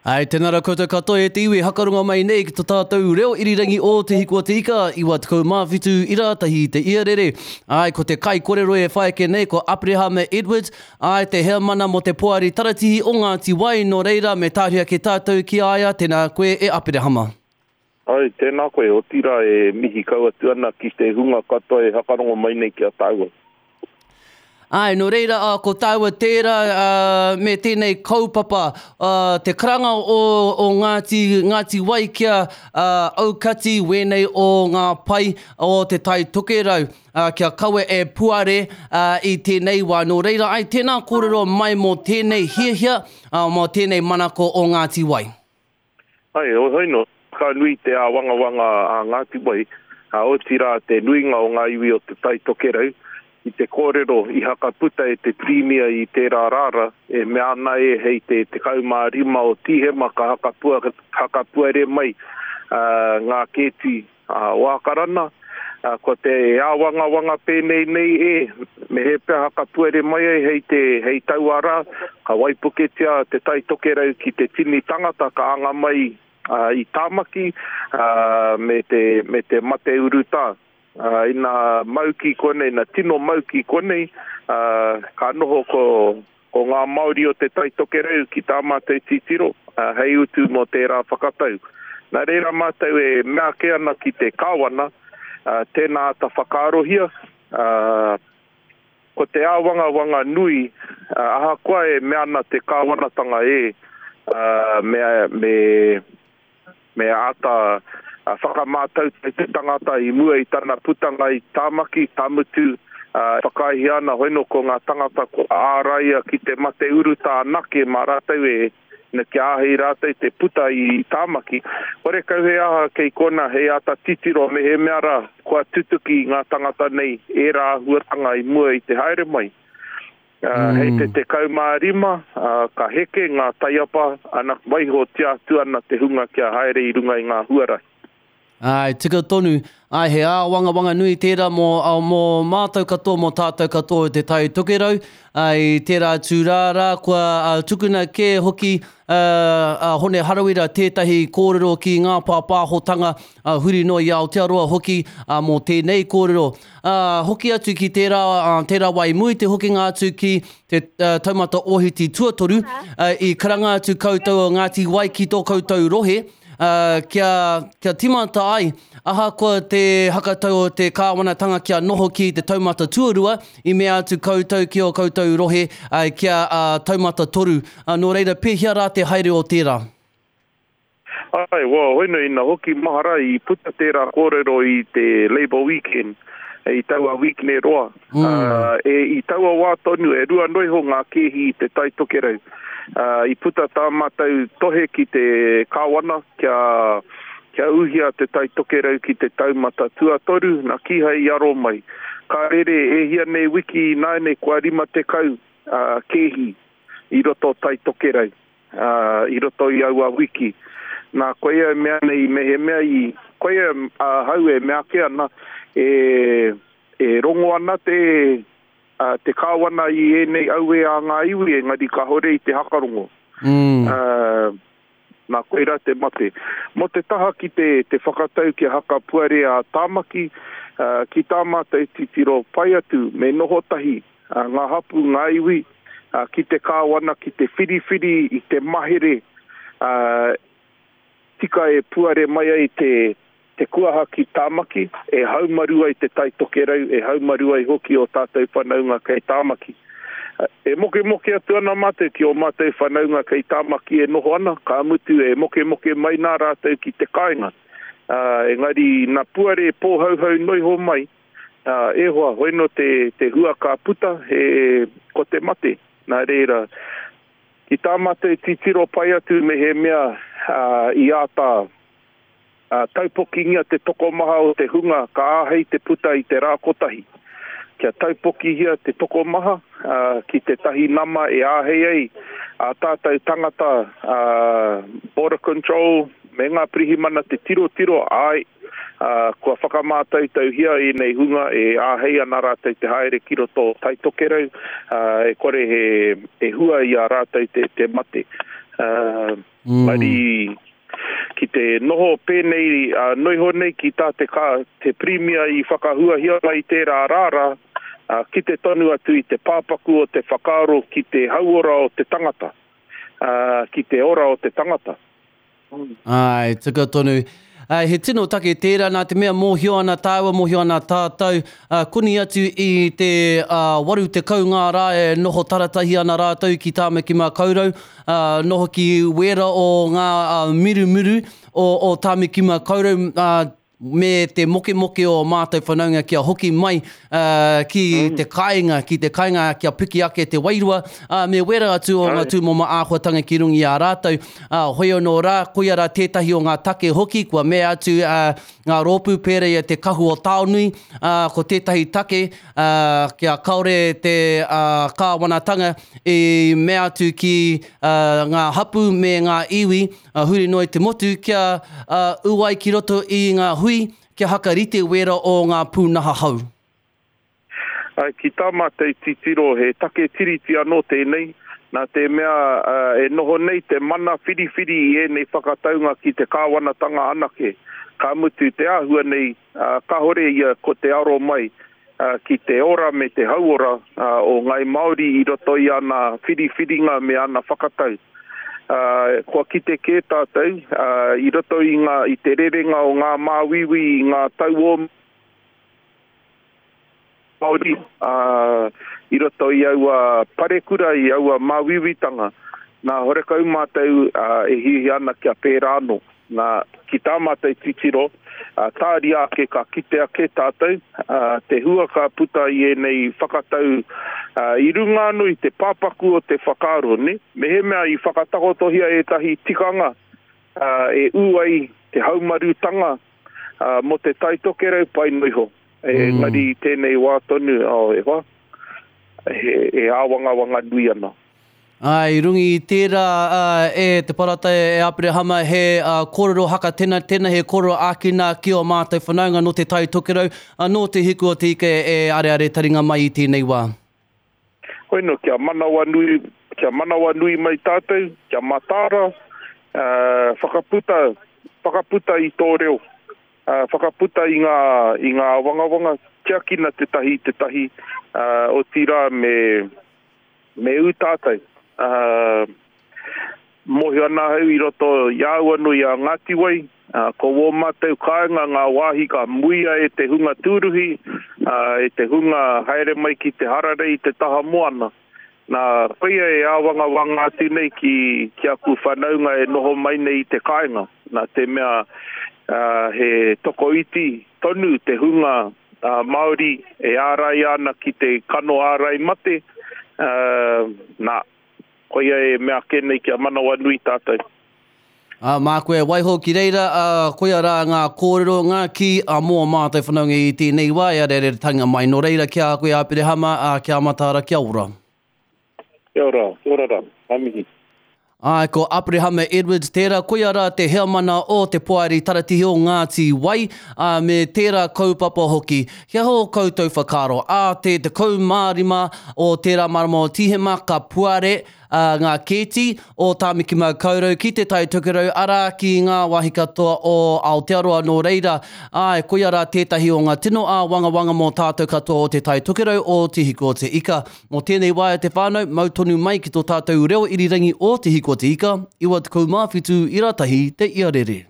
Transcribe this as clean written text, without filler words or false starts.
Ai, tēnā rā koutou katoa e te iwi hakarongo mai nei ki to tātou reo irirangi o Te Hiku o Te Ika, 97 i rātahi i te iarere. Ai, ko te kaikorero e whai ake nei ko Aperehama Edwards, ai, te heamana mō te Poari Taratihi o Ngāti Wai, nō reira me tāhuri ake tātou ki a ia, tēnā koe e Aperehama. Ai, tēnā koe, otirā e mihi kau atu ana ki te hunga katoa e hakarongo mai nei ki a tāua. Āe, nō reira, ā, ko tāua tērā, ā, me tēnei kaupapa, ā, te karanga o, o Ngāti, Ngāti Wai kia, ā, aukati wēnei o ngā pae o Te Tai Tokerau, ā, kia kaua e puare, ā, i tēnei wā. Nō reira, āe, tēnā kōrero mai mō tēnei hiahia, ā, mō tēnei manako o Ngāti Wai. Ai, heoi no, ka nui te āwangawanga a Ngāti Wai, ā, otirā te nuinga o ngā iwi o Te Tai Tokerau, i te kōrero i hakaputa e te Pirimia i tērā rāra, e mea ana e hei te 15 o Tīhema ka hakapuare mai ngā kēti o Ākarana, ko te āwangawanga pēnei nei e, me he pea hakapuere mai ai hei te, hei taua rā, ka waipuketia Te Tai Tokerau ki te tini tangata ka anga mai i Tāmaki me te, me te mate urutā. Ina mau ki konei, ina tino mau ki konei, ka noho ko, Ko ngā Māori o Te Tai Tokerau ki tā mātou titiro, hei utu mō tērā whakatau. Nā reira mātou e mea ake ana ki te Kāwana, tēnā āta whakaarohia, ko te āwangawanga nui, ahakoa e mea ana te Kāwanatanga e, me, me, Me āta whakamātautau te tangata i mua i tana putanga i Tāmaki, ka mutu, e whakaaehia ana hoino ko ngā tangata kua āraia ki te mate urutā anake mā rātou e, kia āhei rātou te puta i Tāmaki. Horekau he aha kei konā hei āta titiro mehemea rā kua tutuki ngā tangata nei ērā āhuatanga i mua i te haere mai. Hei te 15, ka heke ngā taiapa, ana, waihotia atu ana te hunga kia haere i runga i ngā huarahi. Āe, tika tonu. Āe, he āwangawanga nui tērā mō, mō mātou katoa, mō tātou katoa o Te Tai Tokerau. Ā, i tērā atu rā rā, kua tukuna kē hoki a Hone Harawira tētahi kōrero ki ngā pāpāhotanga huri noa i Aotearoa hoki mō tēnei kōrero. Ā, hoki atu ki tērā, ā, tērā wā i mua i te hokinga atu ki te taumata ohiti tuatoru, ā, i karanga atu koutou o Ngāti Wai ki tō koutou rohe, ā, kia, kia tīmata ai, ahakoa te hakatau o te kāwanatanga kia noho ki te taumata tuarua, i mea atu koutou ki ō koutou rohe, ā, kia, ā, taumata toru. Ā, nō reira, pēhea rā te haere o tērā? Āe, well, hoino ina hoki mahara i puta tērā kōrero i te Labour Weekend, i taua weekne roa. Mm. E, i taua wā tonu, e rua noiho ngā kēhi i te Tai Tokerau. Uh, I puta tā mātou tohe ki te kāwana kia, kia uhia te Tai Tokerau ki te taumata tuatoru, na kīhai i aro mai. Ka rere e hia nei wiki ināianei kua 50 uh, kēhi i roto Tai Tokerau. ā, i roto i aua wiki. Nā, koia e mea nei, mehemea i, koia ahau e mea ake ana, e, e rongo ana te, ā, te kāwana i ēnei auē a ngā iwi, engari kāore i te hakarongo. Mm. Ā, nā, koirā te mate. Mō te taha ki te, te whakatau kia hakapuare a Tāmaki, ā, ki tā mātou titiro pai atu, me noho tahi, ngā hapū, ngā iwi, ki te kāwana ki te whiriwhiri i te mahere tika e puare mai ai te te kuaha ki Tāmaki, e haumaru ai Te Tai Tokerau, e haumaru ai hoki ō tātou whanaunga kei Tāmaki. E mokemoke atu ana mātou ki ō mātou whanaunga kei Tāmaki e noho ana, ka mutu e mokemoke mai nā rātou ki te kāinga. Engari, nā puare pōhauhau noiho mai, Ā, e hoa, hoino te, te hua ka puta, he, ko te mate. Nā reira, ki tā mātou titiro pai atu mehemea, ā, i āta, ā, taupokingia te tokomaha o te hunga ka āhei te puta i te rā kotahi. Kia taupokihia te tokomaha, ā, ki tētahi nama e āhei ai ā tātou tangata, ā, border control me ngā pirihimana te tirotiro, āe, Kua whakamātautauhia ēnei hunga e āhei ana rātou te haere ki roto o Tai Tokerau, e kore he hua i a rātou te mate. Engari, ki te noho pēnei noiho nei ki tā te te Pirimia i whakahuahia mai i tērā rā, kite tonu atu i te pāpaku o te whakaaro ki te hauora o te tangata, ki te ora o te tangata. Āe, tika tonu. Āe, he tino take tērā nā te mea mōhio ana tāua, mōhio ana tātou, koni atu i te 80 ngā rā e noho taratahi ana rātou ki Tāmaki Makaurau, noho ki wēra o ngā mirumiru o Tāmaki Makaurau, me te mokemoke o mātou whanaunga kia hoki mai ki te kāinga, ki te kāinga kia piki ake te wairua, me wera atu o ngā tūmomo āhuatanga ki runga i a rātou. Hoi anō rā, koia rā tētahi o ngā take hoki kua mea atu ngā rōpū pērā i a Te Kahu o Taonui, ko tētahi take kia kāore te kāwanatanga i mea atu ki ngā hapū me ngā iwi huri noa i te motu kia ū ai ki roto i ngā hui kia hakarite wēra o ngā pūnaha hou. Āe, ki tā mātou titiro he take Tiriti anō tēnei, nā te mea e noho nei te mana whiriwhiri i ēnei whakataunga ki te kāwanatanga anake, ka mutu te āhua nei kāore ia ko te aro mai ki te ora me te hauora o Ngāi Māori i roto i ana whiriwhiringa me ana whakatau. Kua kite kē tātou i roto i ngā, i te rerenga o ngā māuiui i ngā tau o Māori, i roto i aua parekura, i aua māuiuitanga. Nā, horekau mātou e hiahia ana kia pērā anō. Nā, ki tā mātou titiro, tāria ake ka kite ake tātou, te hua ka puta i ēnei whakatau i runga anō i te pāpaku o te whakaaro, nē? Mehemea i whakatakotohia ētahi tikanga e ū ai te haumarutanga mō te Tai Tokerau, pai noa iho. Engari i tēnei wā tonu, oh, e hoa, he āwangawanga nui ana. Ā, i runga i tērā, ā, e te Parata, e Aperehama, he kōrero hakatenatena, he kōrero ākina ki ō mātou whanaunga nō Te Tai Tokerau, ā, nō Te Hiku o Te Ika e areare taringa mai i tēnei wā. Hoi nō, kia manawanui, kia manawanui mai tātou, kia mataara, ā, whakaputa, whakaputa i tō reo, ā, whakaputa i ngā, i ngā āwangawanga, tiakina tētahi i tētahi, ā, otirā me, Me ū tātou. Ā, mōhio ana ahau i roto i a au anō i a Ngāti Wai, ā, ko wō mātou kāinga ngā wāhi ka muia e te hunga tūruhi, ā, e te hunga haere mai ki te hararei i te taha moana. Nā, koia e āwangawanga atu nei ki, ki aku whanaunga e noho mai nei i te kāinga, nā te mea, ā, he tokoiti tonu te hunga Māori e āraia ana ki te kano ārai mate, nā, koia e mea ake nei kia manawanui tātou. Ā, māku e waiho ki reira, ā, koia rā ngā kōrero, ngā kī a mō mātou whanaunga i tēnei wā e arearetanga mai. Nō reira, ki a koe Aperehama, ā, kia mataara, kia ora. Kia ora, kia ora rā, ka mihi. Āe, ko Aperehama Edwards tērā, koia rā te heamana o te Poari Taratihi o Ngāti Wai, ā, me tērā kaupapa hoki. He aha ō koutou whakaaro? Ā te 15 o tērā marama o Tīhema ka puare ngā kēti o Tāmaki Makaurau ki Te Tai Tokerau, arā, ki ngā wāhi katoa o Aotearoa. Nō reira, āe, koia rā tētahi o ngā tino āwangawanga mō tātou katoa o Te Tai Tokerau o Te Hiku o Te Ika. Mō tēnei wā e te whānau, mau tonu mai ki tō tātou reo irirangi o Te Hiko Te Ika, 97 ira tahi te iarere.